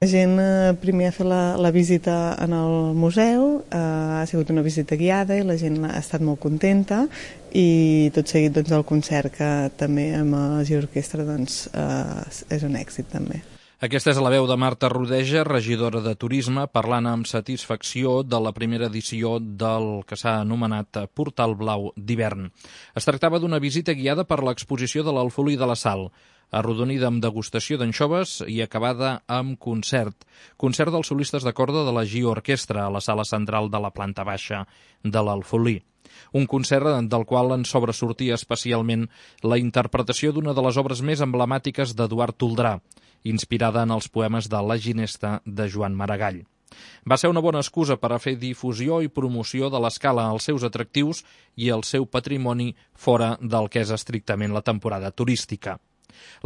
La gent primer ha fet la visita en el museu, ha sigut una visita guiada i la gent ha estat molt contenta i tot seguit doncs, el concert que també amb els i orquestra doncs, és un èxit també. Aquesta és la veu de Marta Rodeja, regidora de Turisme, parlant amb satisfacció de la primera edició del que s'ha anomenat Portal Blau d'hivern. Es tractava d'una visita guiada per l'exposició de l'Alfolí de la Sal, arrodonida amb degustació d'anxoves i acabada amb concert. Concert dels solistes de corda de la GIO Orquestra a la sala central de la planta baixa de l'Alfolí. Un concert del qual en sobresortia especialment la interpretació d'una de les obres més emblemàtiques d'Eduard Toldrà, inspirada en els poemes de La Ginesta de Joan Maragall. Va ser una bona excusa per a fer difusió i promoció de l'Escala, els seus atractius i el seu patrimoni fora del que és estrictament la temporada turística.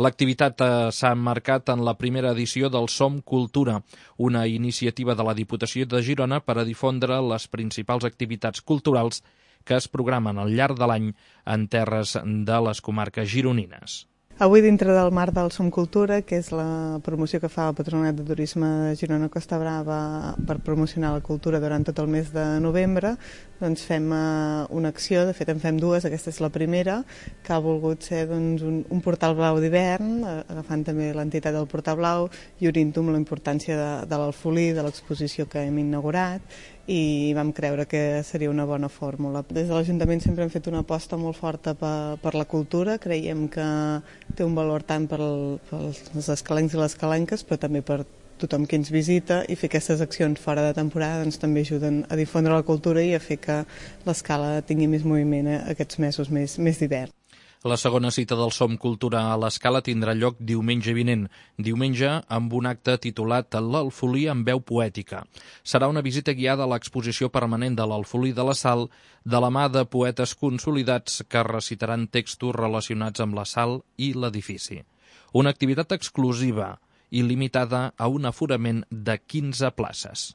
L'activitat s'ha emmarcat en la primera edició del Som Cultura, una iniciativa de la Diputació de Girona per a difondre les principals activitats culturals que es programen al llarg de l'any en terres de les comarques gironines. Avui, dintre del marc del Som Cultura, que és la promoció que fa el Patronat de Turisme de Girona Costa Brava per promocionar la cultura durant tot el mes de novembre, doncs fem una acció, de fet en fem dues, aquesta és la primera, que ha volgut ser doncs, un portal blau d'hivern, agafant també l'entitat del Portal Blau i unint-ho amb la importància de l'Alfolí, de l'exposició que hem inaugurat, i vam creure que seria una bona fórmula. Des de l'Ajuntament sempre hem fet una aposta molt forta per la cultura, creiem que té un valor tant per als escalencs i les escalenques, però també per tothom que ens visita, i fer aquestes accions fora de temporada doncs, també ajuden a difondre la cultura i a fer que l'Escala tingui més moviment aquests mesos més d'hivern. La segona cita del Som Cultura a l'Escala tindrà lloc diumenge vinent, diumenge amb un acte titulat L'Alfolí en veu poètica. Serà una visita guiada a l'exposició permanent de l'Alfolí de la Sal de la mà de poetes consolidats que recitaran textos relacionats amb la sal i l'edifici. Una activitat exclusiva i limitada a un aforament de 15 places.